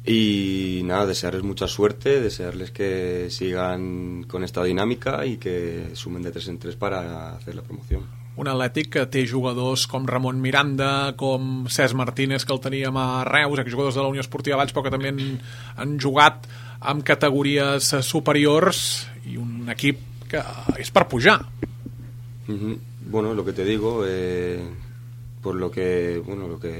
S5: Y nada, desearles mucha suerte, desearles que sigan con esta dinámica y que sumen de 3 en 3 para hacer la promoción.
S2: Un Atlètic que té jugadors com Ramon Miranda, com Cesc Martínez, que el teníem a Reus, exjugadors de la Unió Esportiva Valls, però que també han jugat amb categories superiors, i un equip que és per pujar.
S5: Bueno, lo que te digo, por lo que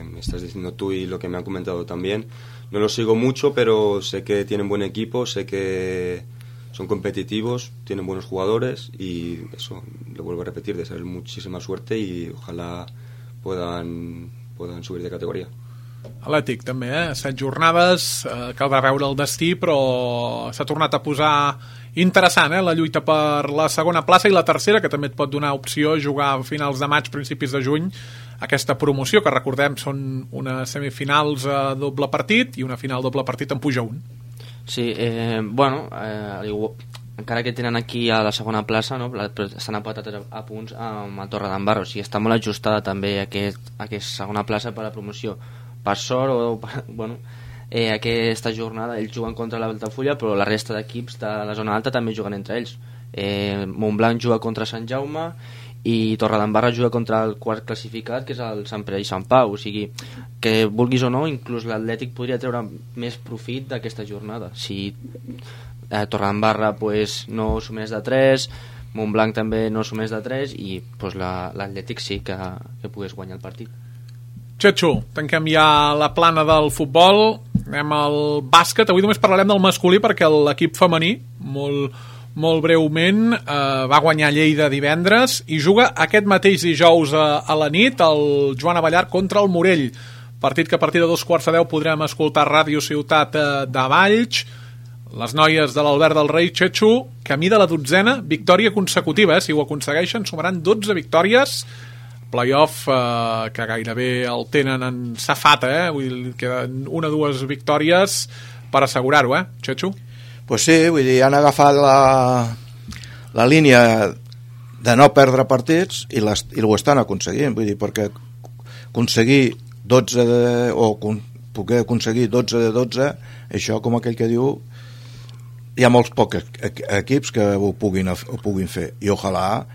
S5: me estás diciendo tú y lo que me han comentado también, no lo sigo mucho, pero sé que tienen buen equipo, sé que son competitivos, tienen buenos jugadores, y eso, lo vuelvo a repetir, desearles muchísima suerte y ojalá puedan subir de categoría.
S2: Atlètic també, 7 jornades, caldrà veure el destí, però s'ha tornat a posar interessant, la lluita per la segona plaça, i la tercera, que també et pot donar opció a jugar a finals de maig, principis de juny, aquesta promoció, que recordem són unes semifinals a doble partit i una final doble partit en puja un.
S4: Sí, encara que tenen aquí a la segona plaça, no? Estan empatats a punts amb el Torredembarra, o sigui, està molt ajustada també aquesta segona plaça per a la promoció. Per sort, aquesta jornada ells juguen contra l'Altafulla, però la resta d'equips de la zona alta també juguen entre ells. Montblanc juga contra Sant Jaume i Torredembarra juga contra el quart classificat, que és el Sant Pere i Sant Pau. O sigui, que vulguis o no, inclús l'Atlètic podria treure més profit d'aquesta jornada. Si Torredembarra no sumés de 3, Montblanc també no sumés de 3, i l'Atlètic sí que pogués guanyar el partit.
S2: Txetxo, tanquem ja la plana del futbol, anem al bàsquet. Avui només parlarem del masculí perquè l'equip femení, molt breument, va guanyar Lleida divendres i juga aquest mateix dijous a la nit el Joan Abellar contra el Morell, partit que a partir de 2:15 podrem escoltar a Ràdio Ciutat de Valls. Les noies de l'Albert del Rei, Txetxo, camí de la 12a victòria consecutiva, si ho aconsegueixen sumaran 12 victòries, playoff que gairebé el tenen en safata, vull dir, queden 1 o 2 victòries per assegurar-ho, Txetxo?
S3: Pues sí, vull dir, han agafat la línia de no perdre partits i ho estan aconseguint, vull dir, perquè aconseguir 12 poder aconseguir 12 de 12, això, com aquell que diu, hi ha molts pocs equips que ho puguin fer, i ojalà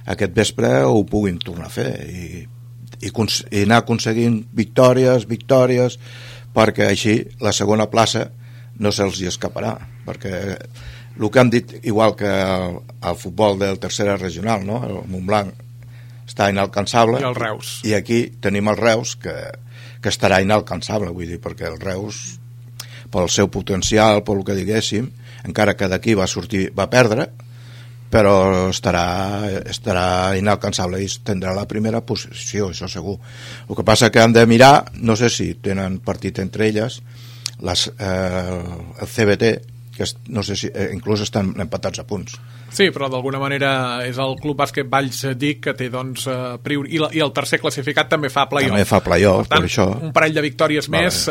S3: aquest vespre ho puguin tornar a fer i anar aconseguint victòries, perquè així la segona plaça no se'ls hi escaparà, perquè el que han dit, igual que el futbol del tercera regional, no? El Montblanc està inalcançable,
S2: i el Reus,
S3: i aquí tenim el Reus que estarà inalcançable, vull dir, perquè el Reus, pel seu potencial, pel que diguéssim, encara que d'aquí va perdre, però estarà inalcançable i tindrà la primera posició, això segur. El que passa que han de mirar, no sé si tenen partit entre elles, el CBT, que no sé si inclús estan empatats a punts.
S2: Sí, però d'alguna manera és el Club Bàsquet Valls DIC que té, doncs, i el tercer classificat també fa play-off.
S3: També fa play-off,
S2: per tant,
S3: per això.
S2: Un parell de victòries més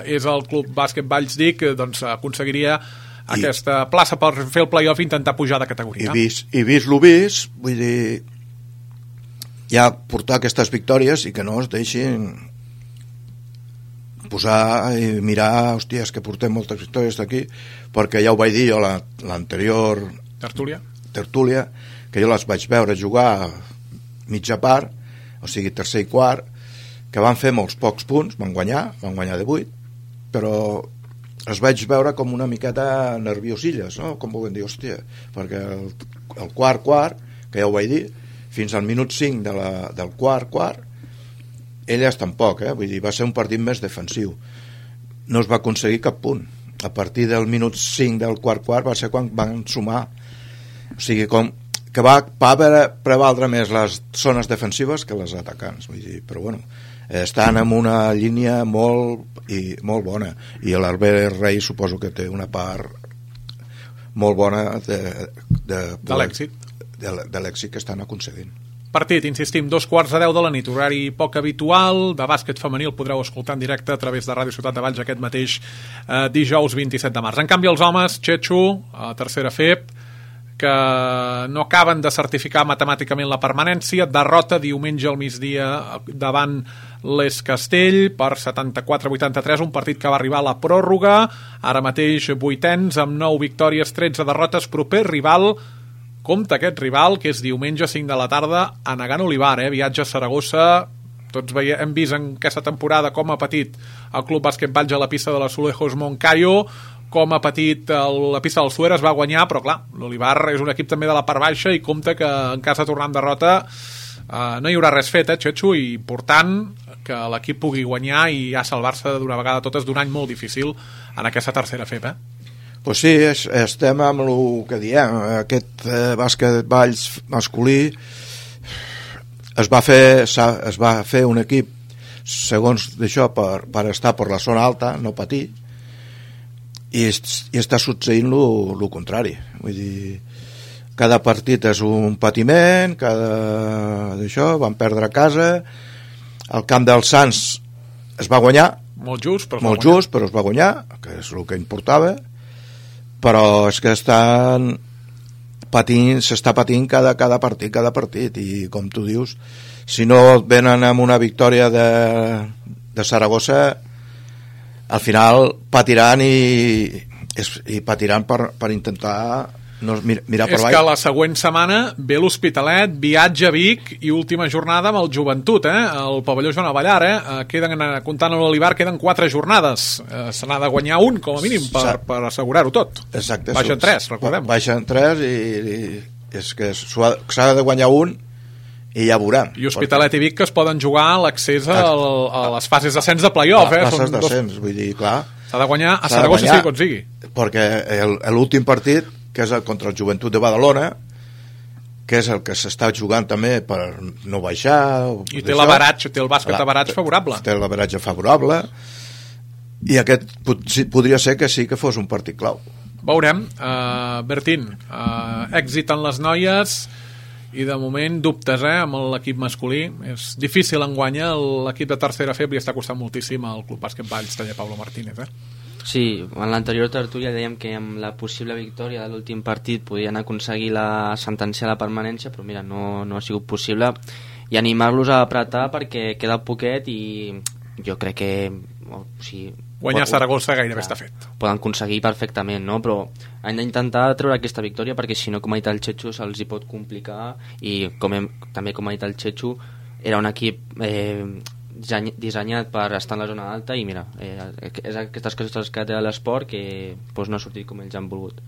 S2: és el Club Bàsquet Valls DIC, doncs aconseguiria aquesta plaça per fer el play-off i intentar pujar de categoria.
S3: I vist lo vist, vull dir, ja portar aquestes victòries i que no es deixin posar i mirar, hòstia, és que portem moltes victòries d'aquí, perquè ja ho vaig dir jo l'anterior tertúlia, que jo les vaig veure jugar mitja part, o sigui tercer i quart, que van fer molts pocs punts, van guanyar de 8, però els vaig veure com una miqueta nerviosilles, no? Com volem dir, hòstia, perquè el quart, que ja ho vaig dir, fins al minut 5 del quart, elles tampoc, vull dir, va ser un partit més defensiu. No es va aconseguir cap punt. A partir del minut 5 del quart va ser quan van sumar. O sigui, com que va prevaldre més les zones defensives que les atacants, vull dir, però bueno, estan en una línia molt bona, i l'Albert Rei suposo que té una part molt bona de l'èxit que estan aconseguint.
S2: Partit, insistim, 2:15 de la nit, horari poc habitual, de bàsquet femení, el podreu escoltar en directe a través de Ràdio Ciutat de Valls aquest mateix dijous 27 de març. En canvi, els homes, Txetxo, a tercera FEP, que no acaben de certificar matemàticament la permanència, derrota diumenge al migdia davant l'Es Castell per 74-83, un partit que va arribar a la pròrroga, ara mateix 8ens amb 9 victòries, 13 derrotes, proper rival, compte aquest rival, que és diumenge 5 de la tarda a Negant Olivar, viatge a Saragossa. Tots hem vist en aquesta temporada com ha patit el Club Bàsquet Valls a la pista de l'Azulejos Moncayo, com ha patit la pista del Suera, es va guanyar, però clar, l'Olivar és un equip també de la part baixa i compte que en cas de tornar en derrota no hi haurà res fet, Txetxo, i important que l'equip pugui guanyar i ja salvar-se d'una vegada totes d'un any molt difícil en aquesta tercera FEP,
S3: Pues sí, estem amb el que diem, aquest bàsquet Valls masculí es va fer un equip segons d'això per estar per la zona alta, no patir, i està succeint el contrari. Vull dir, cada partit és un patiment, d'això, van perdre a casa, el camp dels Sants es va guanyar,
S2: molt just,
S3: però es va guanyar, que és el que importava, però és que s'està patint cada partit, i com tu dius, si no venen amb una victòria de Saragossa, al final patiran i patiran per intentar mirar per
S2: baix. És que la següent setmana ve l'Hospitalet, viatge a Vic i última jornada amb el Joventut, el pavelló Joan Avellar, comptant amb l'Olivar queden 4 jornades, se n'ha de guanyar un com a mínim per assegurar-ho tot.
S3: Exacte.
S2: Baixen 3, recordem.
S3: Baixen 3 i és que s'ha de guanyar un i ja veurem.
S2: I Hospitalet i Vic que es poden jugar l'accés a les fases d'ascens de play-off.
S3: Fases d'ascens, vull dir, clar.
S2: S'ha de guanyar a Saragossa sigui com sigui.
S3: Perquè l'últim partit, que és contra el Joventut de Badalona, que és el que s'està jugant també per no baixar...
S2: I té l'averatge, té el bàsquet d'averatge favorable.
S3: Té l'averatge favorable, i aquest podria ser que sí que fos un partit clau.
S2: Veurem. Bertín, èxit en les noies i de moment dubtes amb l'equip masculí. És difícil enguanyar, l'equip de tercera feble està costant moltíssim al Club Bàsquet Valls, taller Pablo Martínez.
S4: Sí, en l'anterior tertúlia dèiem que amb la possible victòria de l'últim partit podien aconseguir la sentència a la permanència, però mira, no ha sigut possible, i animar-los a apretar perquè queda poquet i jo crec que
S2: guanyar Saragossa gairebé està fet.
S4: Poden aconseguir perfectament, no? Però han d'intentar treure aquesta victòria perquè si no, com ha dit el Chechu, se'ls hi pot complicar, i també com ha dit el Chechu, era un equip dissenyat per estar en la zona alta i mira, és aquestes coses que té l'esport que no ha sortit com ells han volgut.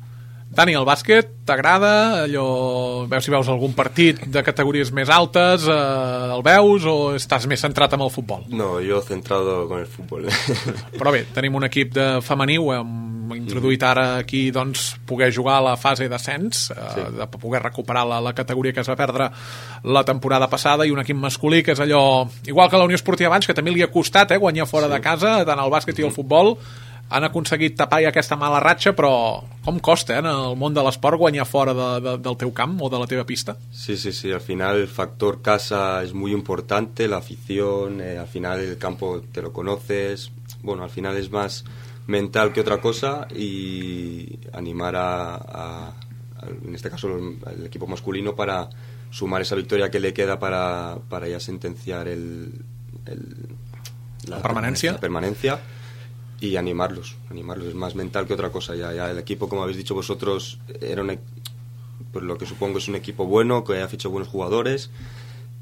S2: Dani, el bàsquet t'agrada? Veus si veus algun partit de categories més altes, el veus, o estàs més centrat en el futbol?
S5: No, yo centrado con el fútbol.
S2: Però bé, tenim un equip de femení, ho hem introduït ara aquí, doncs, poder jugar a la fase d'ascens, de poder recuperar la categoria que es va perdre la temporada passada, i un equip masculí que és allò, igual que la Unió Esportiva Valls, que també li ha costat guanyar fora de casa, tant el bàsquet i el futbol, han aconseguit tapar aquesta mala ratxa, però com costa en el món de l'esport guanyar fora del teu camp o de la teva pista?
S5: Sí, al final el factor casa es muy importante, la afición, al final el campo te lo conoces, bueno, al final es más mental que otra cosa, y animar en este caso al equipo masculino para sumar esa victoria que le queda para ya sentenciar
S2: la permanencia.
S5: Y animarlos, es más mental que otra cosa. Ya el equipo, como habéis dicho vosotros, era pues lo que supongo es un equipo bueno, que ha fichado buenos jugadores,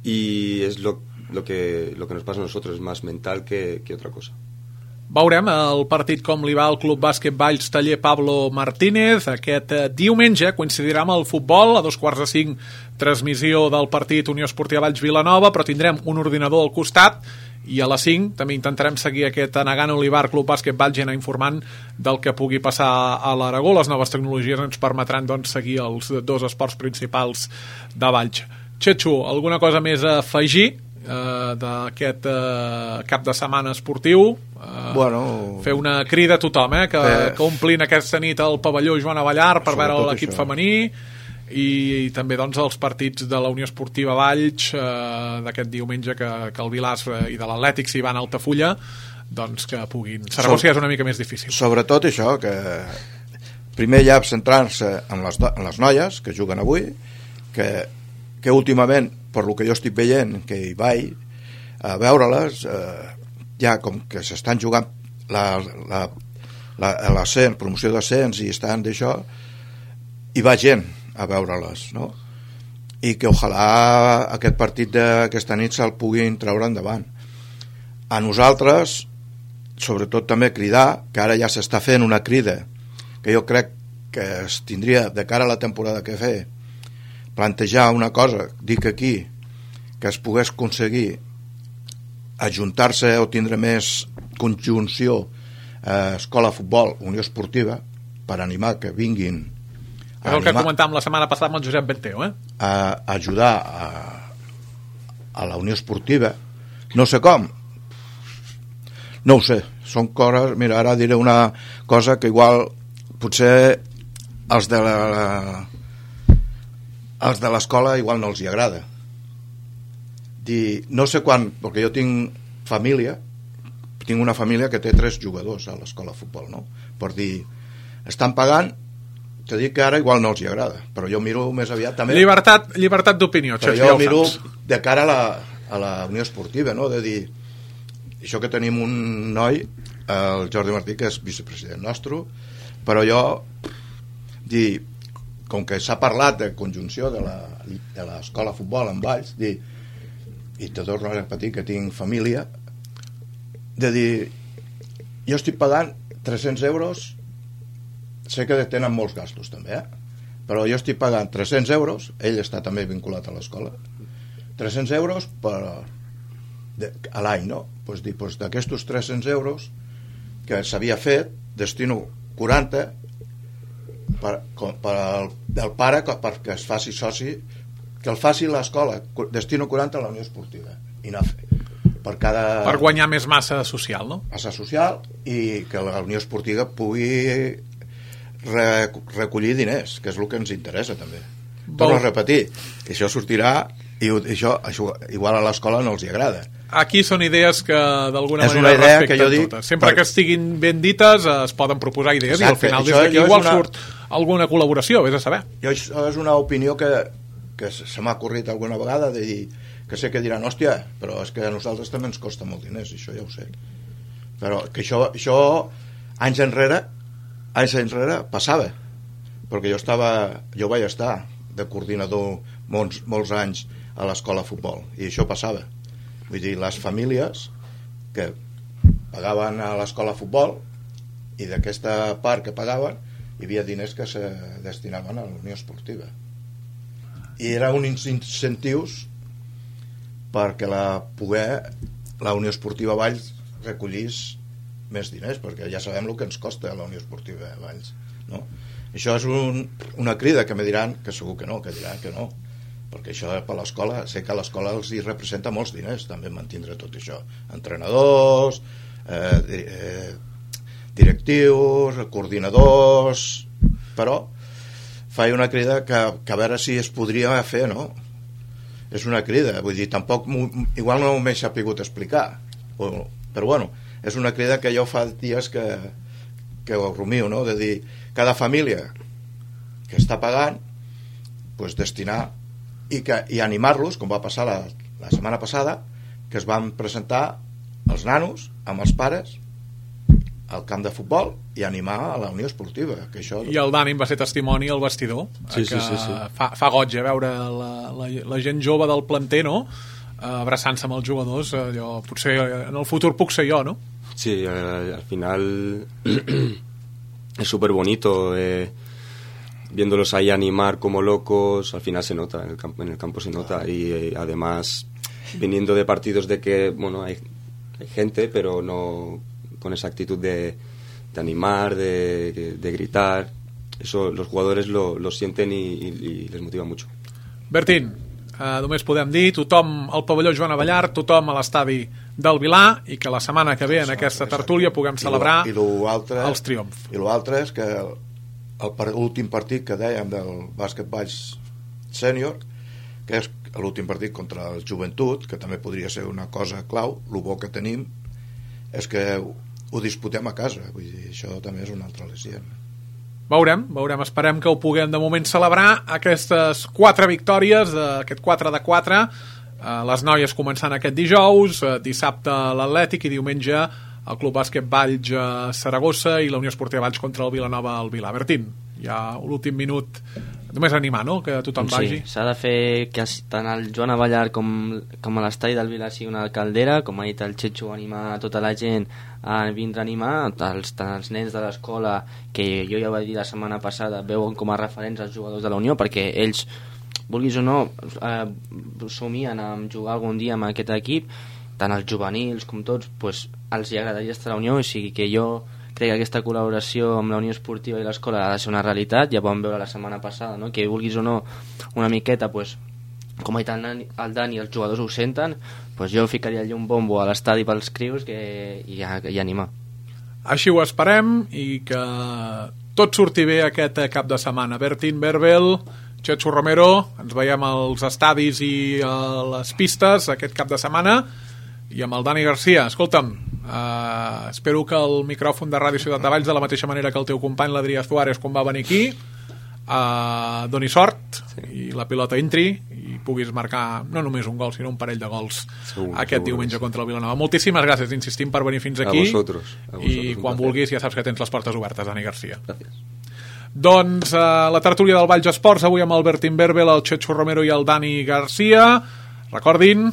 S5: y es lo que nos pasa a nosotros, es más mental que otra cosa.
S2: Veurem el partit com li va al Club Bàsquet Valls taller Pablo Martínez. Aquest diumenge coincidirà amb el futbol, a 4:45 transmissió del partit Unió Esportiva Valls Vilanova, però tindrem un ordinador al costat, i a les 5 també intentarem seguir aquest Anagant Olivar Club Bàsquet Valls i anar informant del que pugui passar a l'Aragó. Les noves tecnologies ens permetran, doncs, seguir els dos esports principals de Valls. Chechu, alguna cosa més a afegir d'aquest cap de setmana esportiu? Fer una crida a tothom que omplin aquesta nit el pavelló Joan Avellar per veure l'equip femení, i també, doncs, els partits de la Unió Esportiva Valls d'aquest diumenge, que el Vilàs i de l'Atlètic s'hi van a Altafulla, doncs que puguin. Saragossa és una mica més difícil.
S3: Sobretot això, que primer ja centrar-se en les noies que juguen avui, que últimament, per lo que jo estic veient, que hi vaig a veure-les, ja com que s'estan jugant l'ascens, promoció d'ascens, i estan d'això, hi va gent a veure-les, no? I que ojalà aquest partit d'aquesta nit se'l puguin treure endavant. A nosaltres, sobretot també cridar, que ara ja s'està fent una crida, que jo crec que es tindria, de cara a la temporada que ve, plantejar una cosa, dic aquí, que es pogués aconseguir ajuntar-se o tindre més conjunció escola de futbol, Unió Esportiva, per animar que vinguin
S2: és el que comentàvem la setmana passada amb el Josep Benteo,
S3: a ajudar a la Unió Esportiva, no sé com, No ho sé, són coses... Mira, ara diré una cosa que igual potser els de l'escola igual no els hi agrada. No sé quan, perquè jo tinc una família que té 3 jugadors a l'escola de futbol, no? Per dir, estan pagant, te dic que ara igual no els hi agrada, però jo miro més aviat també...
S2: Llibertat d'opinió,
S3: però jo miro de cara a la Unió Esportiva, no? De dir, això que tenim un noi, el Jordi Martí, que és vicepresident nostre, però jo dir, com que s'ha parlat de conjunció de l'escola de futbol en Valls, dir, i te torno a repetir que tinc família, de dir, jo estic pagant 300 euros, sé que tenen molts gastos també, però jo estic pagant 300 euros, ell està també vinculat a l'escola, 300 euros a l'any, no? Pues dir, pues d'aquestos 300 euros que s'havia fet, destino 40 del pare perquè es faci soci, que el faci l'escola, destino 40 a la Unió Esportiva, INAFE, per
S2: guanyar més massa social, no?
S3: Massa social, i que la Unió Esportiva pugui recollir diners, que és el que ens interessa també. Torno a repetir, això sortirà i això igual a l'escola no els hi agrada.
S2: Aquí són idees que d'alguna manera respecten totes. Sempre que estiguin ben dites es poden proposar idees. Exacte, i al final des d'aquí igual surt alguna col·laboració, vés a saber.
S3: Això és una opinió que se m'ha ocorrit alguna vegada, de dir que sé que diran, hòstia, però és que a nosaltres també ens costa molt diners, això ja ho sé, però que això anys enrere passava, perquè jo vaig estar de coordinador molts anys a l'escola de futbol, i això passava. Vull dir, les famílies que pagaven a l'escola de futbol, i d'aquesta part que pagaven hi havia diners que se destinaven a la Unió Esportiva, i eren uns incentius perquè la Unió Esportiva Valls recollís més diners, perquè ja sabem el que ens costa la Unió Esportiva Valls, no? Això és una crida que me diran que segur que diran que no, perquè això per l'escola, sé que a l'escola els hi representa molts diners també mantindre tot això, entrenadors, directius, coordinadors, però faig una crida que a veure si es podria fer, no? És una crida, vull dir, tampoc igual no m'he sapigut explicar, però bueno, és una crida que jo fa dies que ho rumio, no? De dir, cada família que està pagant, pues destinar i animar-los, com va passar la setmana passada, que es van presentar els nanos amb els pares al camp de futbol i animar a la Unió Esportiva, que això...
S2: I el Dani va ser testimoni al vestidor,
S5: sí.
S2: Fa goig veure la gent jove del planter, no? Abraçant-se amb els jugadors. Potser en el futur puc ser jo, no?
S5: Sí, al final es súper bonito, viéndolos ahí animar como locos, al final se nota, en el campo se nota, y además viniendo de partidos de que, bueno, hay gente, pero no con esa actitud de animar, de gritar, eso los jugadores lo sienten y les motiva mucho.
S2: Bertín, només podem dir tothom al pavelló Joan Abellart, tothom a l'estadi del Vilar, i que la setmana que ve en aquesta tertúlia puguem celebrar els triomfs.
S3: I l'altre és que l'últim partit que dèiem del bàsquet Valls sènior, que és l'últim partit contra el Joventut, que també podria ser una cosa clau, el bo que tenim és que ho disputem a casa, vull dir, això també és un altre al·licient.
S2: Veurem, esperem que ho puguem de moment celebrar, aquestes 4 victòries, aquest 4-4, les noies començant aquest dijous, dissabte l'Atlètic i diumenge el Club Bàsquet Valls Saragossa i la Unió Esportiva Valls contra el Vilanova al Vilar. Bertín, ja l'últim minut, només animar, no?, que tothom vagi.
S4: Sí, s'ha de fer que tant el Joan Abellart com a l'estadi del Vilar sigui una caldera, com ha dit el Xetxo, animar tota la gent a vindre a animar, tant els nens de l'escola, que jo ja ho vaig dir la setmana passada, veuen com a referents els jugadors de la Unió, perquè ells, vulguis o no, somien a jugar algun dia amb aquest equip, tant els juvenils com tots, pues, els hi agradaria estar a la Unió, o sigui que jo crec que aquesta col·laboració amb la Unió Esportiva i l'escola ha de ser una realitat. Ja vam veure la setmana passada, no?, que vulguis o no una miqueta, pues, com ha dit el Dani, els jugadors ho senten, doncs jo ficaria allà un bombo a l'estadi pels crius i animar.
S2: Així ho esperem i que tot surti bé aquest cap de setmana. Bertín Berbel, Chechu Romero, ens veiem als estadis i a les pistes aquest cap de setmana, i amb el Dani Garcia. Escolta'm, espero que el micròfon de Ràdio Ciutat de Valls, de la mateixa manera que el teu company l'Adrià Suárez quan va venir aquí, doni sort i la pilota entri i puguis marcar no només un gol sinó un parell de gols aquest diumenge contra el Vilanova. Moltíssimes gràcies, insistim, per venir fins aquí.
S5: A vosaltres,
S2: i quan vulguis ja saps que tens les portes obertes, Dani Garcia.
S5: Gràcies.
S2: Doncs la tertúlia del Valls Esports avui amb el Bertín Berbel, el Chechu Romero i el Dani Garcia. Recordin,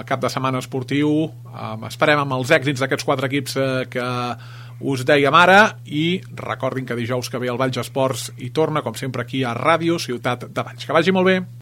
S2: cap de setmana esportiu, esperem amb els èxits d'aquests 4 equips que us dèiem ara, i recordin que dijous que ve el Valls Esports i torna, com sempre, aquí a Ràdio Ciutat de Valls. Que vagi molt bé.